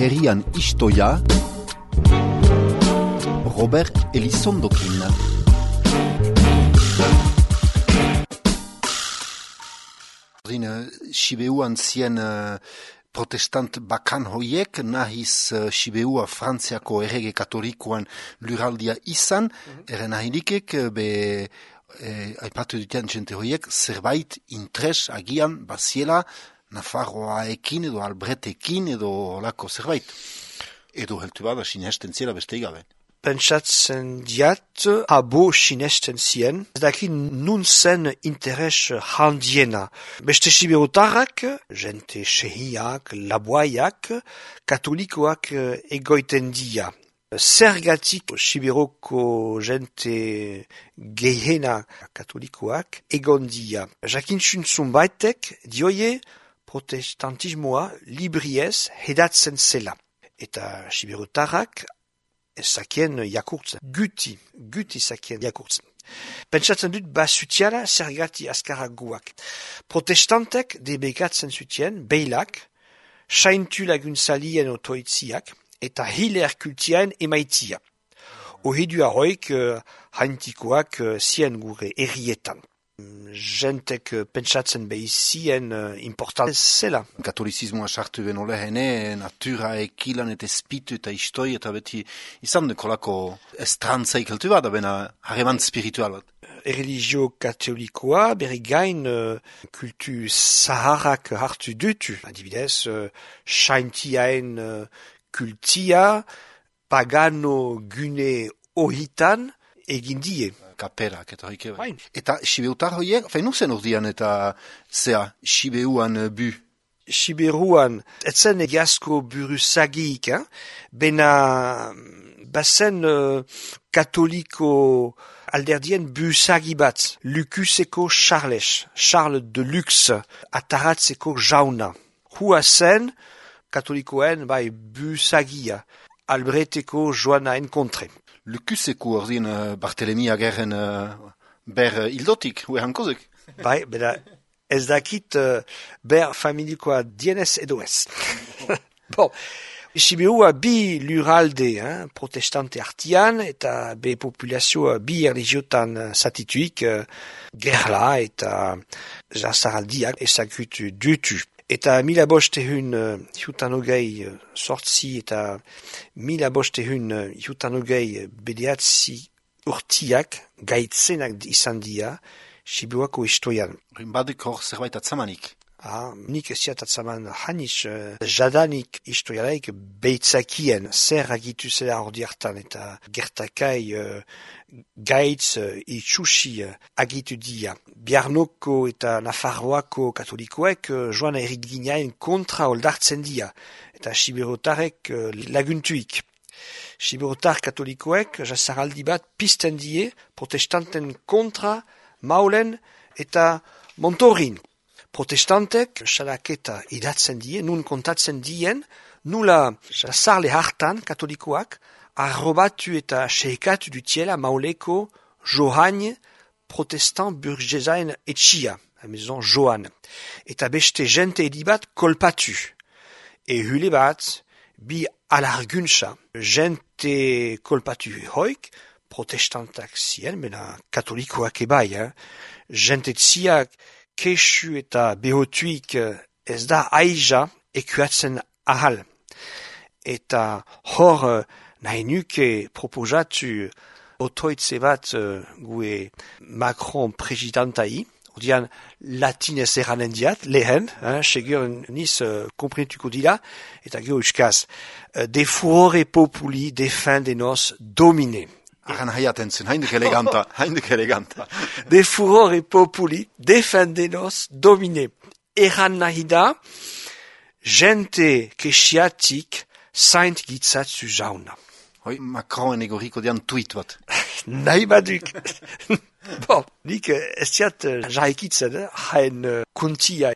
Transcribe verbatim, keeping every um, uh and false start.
herrian istoia Robert Elizondokin. Sibeuan zien uh, protestant bakan hoiek, nahiz uh, Sibeua Frantziako errege katolikoan luraldia izan, mm-hmm. Eren ahilikek, be, eh, aipatu duten jente hoiek, zerbait interes agian baziela Nafarroaekin edo Albretekin edo lako zerbait. Edo heltu bada sinesten ziela beste igabe. Pentsatzen diat, abo sinesten zien, daki nun zen interes handiena. Beste siberotarrak, jente sehiak, laboaiak, katolikoak egoiten dia. Zergatik siberoko jente gehiena katolikoak egon dia. Jakintxun zunbaitek dioie protestantismoa libriez hedatzen zela. Eta siberotarrak zakien jakurtzen, guti, guti zakien jakurtzen. Pentsatzen dut basutiala zergati askaraguak. Protestantek debekatzen zutien, beilak, saintu laguntzalien otoitziak, eta hiler kultiaen emaitia. Ohidu arroik uh, haintikoak uh, zien gure errietan. Jentek uh, pentsatzen behizien uh, important zela. Katolizismoa sartu beno lehene, natura ekilan eta espitu eta istoi eta beti izan dekolako estrantzaik heltu bat, bena harreman spiritual bat. Religio katolikoa berri gain uh, kultu zaharrak hartu dutu. Adibidez, uh, saintiaen uh, kultia pagano gune ohitan egin die. Kaperak eta hoike. Eta Sibeutar hoiek, fein nuzen urdian eta zea, Sibeuan bu? Siberuan, etzen egiazko buruzagik, eh? Bena bazen uh, katoliko alderdien buruzagi bat, Lukuseko Charles, Charles de Lux, ataratzeko jauna. Hua zen, katolikoen bai buzagia, Albreteko joana enkontre. Lukuseko ordin uh, Bartelemi agerren uh, ber uh, ildotik, hue hankozek? Bai, beda ez dakit uh, ber familikoa dienez edo ez. Bon, Sibeua bi luralde, hein, protestante artian, eta be populazioa bi religiotan uh, satituik, uh, gerla eta jasaraldiak ezagutu dutu. Eta mila bostehun uh, hiutanogei uh, sortzi eta mila bostehun uh, hiutanogei bedeatzi urtiak gaitzenak izan dia Sibeuako istoian. Badik hor zerbait atzamanik. Ah, nik esiat atzaman hanis uh, jadanik istoialaik beitzakien zer agitu zela ordi hartan eta gertakai uh, gaitz uh, itxusi uh, agitu dia. Biarnoko eta Nafarroako katolikoek uh, joan erik ginaen kontra oldartzen dia eta siberotarek uh, laguntuik. Siberotar katolikoek jasaraldi bat pizten die protestanten kontra maulen eta montorin. Protestantek salaketa idatzen die, nun kontatzen dien, nula jasarle hartan katolikoak arrobatu eta seikatu dutiela mauleko Johan protestant burgesaen etxia, la maison Johan. Eta beste jente edibat kolpatu. E hule bat, bi alarguntza, jente kolpatu hoik, protestantak zien, mena katolikoak ebai, eh? Jente tziak kesu eta behotuik ez da aiza ekuatzen ahal. Eta hor nahi nuke proposatu otoitze bat uh, gue Macron presidentai, odian latinez eranen diat, lehen, hein, segur niz uh, komprentuko dila, eta geho euskaz, uh, de furore populi defendenos domine. Aran haiaten zen, haindik eleganta, haindik eleganta. De furore populi defendenos domine. Eran nahi da, jente kesiatik zaint gitzatzu jauna. Hoi, Macron egoriko dian tweet bat. Nahi baduk. Bon, nik ez diat uh, jaikitzen, hain uh, kuntia.